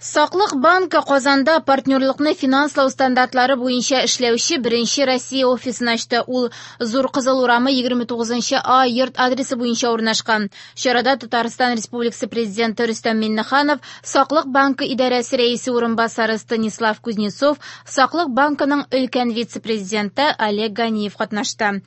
Саклык банкы Казанда партнерлыкны финанслау стандартлары буенча эшләүче беренче Россия офисын ачты. Ул Зур Кызыл урамы 29 А йорт адресы буенча урнашкан. Чарада Татарстан Республикасы Президенты Рөстәм Миңнеханов, Саклык банкы идарәсе рәисе урынбасары Станислав Кузнецов, Саклык банкының өлкән вице-президенты Олег Ганиев катнашты.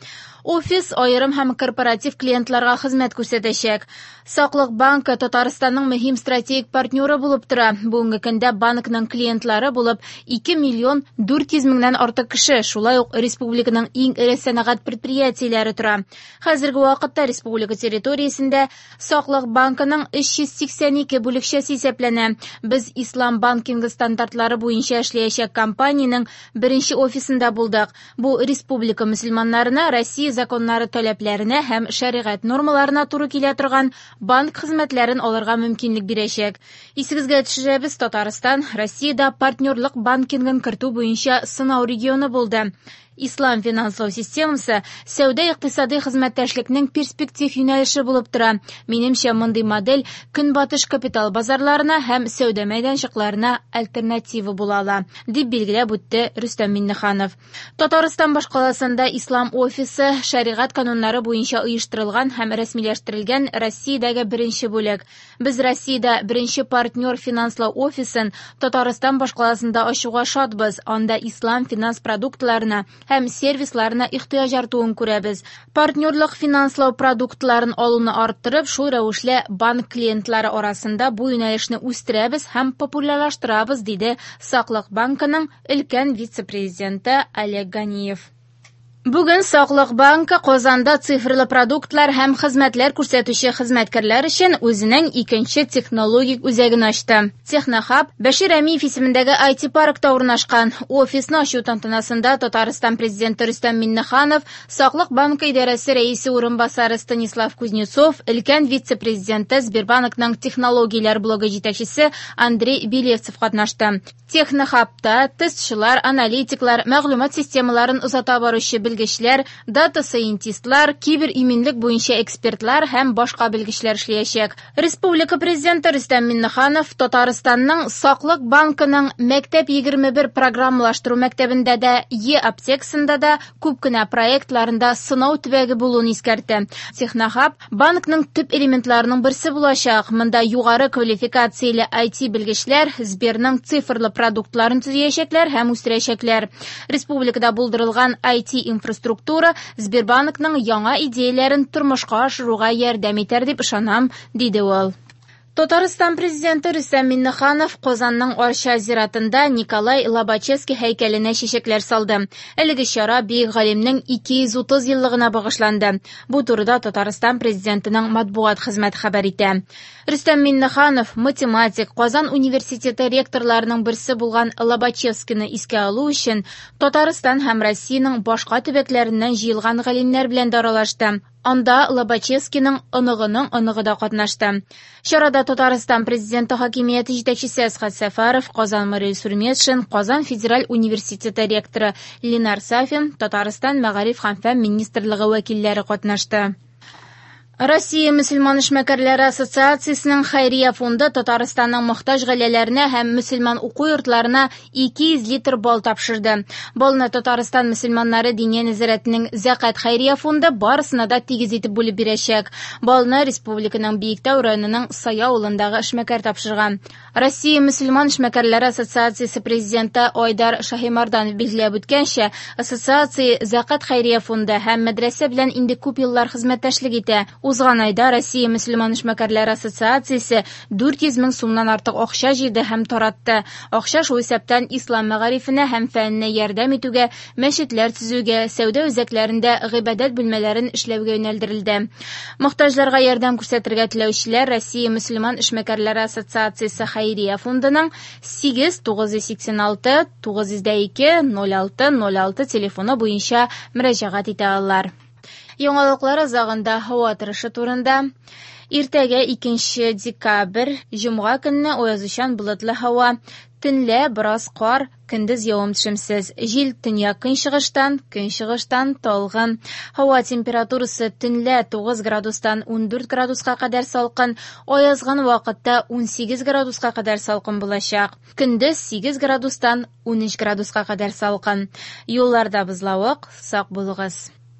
Офис аерым һәм корпоратив клиентларга хезмәт күрсәтәчәк. Саклык банкы Татарстанның мөһим стратегик партнеры булып тора. Бүгенге көндә банкның клиентлары булып 2 миллион 400 меңнән артык кеше, шулай ук республиканың иң эре сәнәгать предприятиеләре тора. Хәзерге вакытта республика территориясендә Саклык банкының 382 бүлекчәсе исәпләнә. Без ислам банкингы стандартлары буенча эшләячәк компаниянең беренче офисында булдык. Бу республика мөселманнарына Россия законнары таләпләренә һәм шәригать нормаларына туры килә торган банк хезмәтләрен алырга мөмкинлек бирәчәк. Исегезгә төшерәбез, Татарстан Россиядә партнерлык банкингын кертү буенча сынау регионы булды. Ислам финанслау системасы сәүдә-икътисадый хезмәттәшлекнең перспектив юнәлеше булып тора. Минемчә, мондый модель көнбатыш капитал базарларына һәм сәүдә мәйданчыкларына альтернатива була ала, дип билгеләп үтте Рөстәм Миңнеханов. Татарстан башкаласында Ислам офисы шәригать кануннары буенча оештырылган һәм рәсмиләштерелгән Россиядәге беренче бүлек. Без Россиядә беренче партнер финанслау офисын Татарстан башкаласында ачуга шатбыз. Анда ислам финанс продуктларына һәм сервисларына ихтыяҗ артуын күрәбез. Партнерлык финанслау продуктларын алуны арттырып, шул рәвешле банк клиентлары арасында бу юнәлешне үстерәбез һәм популярлаштырабыз, диде Саклык банкының өлкән вице-президенты Олег Ганиев. Бүген Саклык банкы Казанда цифрлы продуктлар һәм хезмәтләр күрсәтүче хезмәткәрләр өчен үзенең икенче технологик үзәген ачты. Технохаб Бәшир Рәмиев исемендәге IT-паркта урнашкан. Офисны ачу тантанасында Татарстан Президенты Рөстәм Миңнеханов, Саклык банкы идарәсе рәисе урынбасары Станислав Кузнецов, өлкән вице-президенты Сбербанкның технологияләр блогы җитәкчесе Андрей Белевцев катнашты. Технохабта тестчылар, аналитиклар, мәгълүмат системаларын озата баручы белгечләр, дата-сайентистлар, кибер-иминлек буенча экспертлар һәм башка белгечләр эшләячәк. Республика Президенты Рөстәм Миңнеханов Татарстанның Саклык банкының Мәктәп 21 программалаштыру мәктәбендә дә, Е-аптекасында да күп кенә проектларында сынау төбәге булуын искәртте. Технохаб банкның төп элементларының берсе булачак. Монда югары квалификацияле IT белгечләр Сберның цифрлы продуктларын төзиячәкләр һәм үстерәчәкләр. Республикада булдырылган IT инфраструктура Сбербанкның яңа идеяләрен тормышка ашыруга ярдәм итәр дип ышанам, диде ул. Татарстан Президенты Рөстәм Миңнеханов Казанның Арча зиратында Николай Лобачевский һәйкәленә чәчәкләр салды. Әлеге чара бөек галимнең 230 еллыгына багышланды. Бу турыда Татарстан Президентының матбугат хезмәте хәбәр итә. Рөстәм Миңнеханов математик, Казан университеты ректорларының берсе булган Лобачевскийны искә алу өчен Татарстан һәм Россиянең башка төбәкләреннән җыелган галимнәр белән дә аралашты. Анда Лобачевскийның оныгының оныгы да катнашты. Чарада Татарстан Президенты хакимияте җитәкчесе Әсгать Сәфәров, Казан мэры Илсур Метшин, Казан федераль университеты ректоры Ленар Сафин, Татарстан мәгариф һәм фән министрлыгы вәкилләре катнашты. Россия мөселман эшмәкәрләре ассоциациясенең хәйрия фонды Татарстанның мохтаҗ гаиләләренә һәм мөселман уку йортларына 200 литр бал тапшырды. Балны Татарстан мөселманнары диния нәзарәтенең Зәкат хәйрия фонды барысына да тигез итеп бүлеп бирәчәк. Балны республиканың Биектау районының Сая авылындагы эшмәкәр тапшырган. Россия мөселман эшмәкәрләре ассоциациясе президенты Айдар Шаһимарданов билгеләп үткәнчә, ассоциация Зәкат хәйрия фонды һәм мәдрәсә белән инде күп еллар хезмәттәшлек итә. Узган айда Россия мөселман эшмәкәрләре ассоциациясе 400 мең сумнан артык акча җыйды һәм таратты. Акча шул исәптән ислам мәгарифенә һәм фәненә ярдәм итүгә, мәчетләр төзүгә, сәүдә үзәкләрендә гыйбадәт бүлмәләрен эшләүгә юнәлдерелде. Мохтаҗларга ярдәм күрсәтергә теләүчеләр Россия мөселман эшмәкәрләре ассоциациясе хәйрия фондының 8 986 902 06 06 телефоны буенча мөрәҗәгать итә алалар. Яңалыклар азагында һава торышы турында. Иртәгә 2 декабрь, җомга көнне аязучан болытлы һава. Төнлә бераз кар, көндез явым-төшемсез. Җил төньяк-көнчыгыштан, көнчыгыштан талгын. Һава температурасы төнлә 9 градустан 14 градуска кадәр салкын, аязган вакытта 18 градуска кадәр салкын булачак. Көндез 8 градустан 13 градуска кадәр салкын. Юлларда бозлавык, сак булыгыз.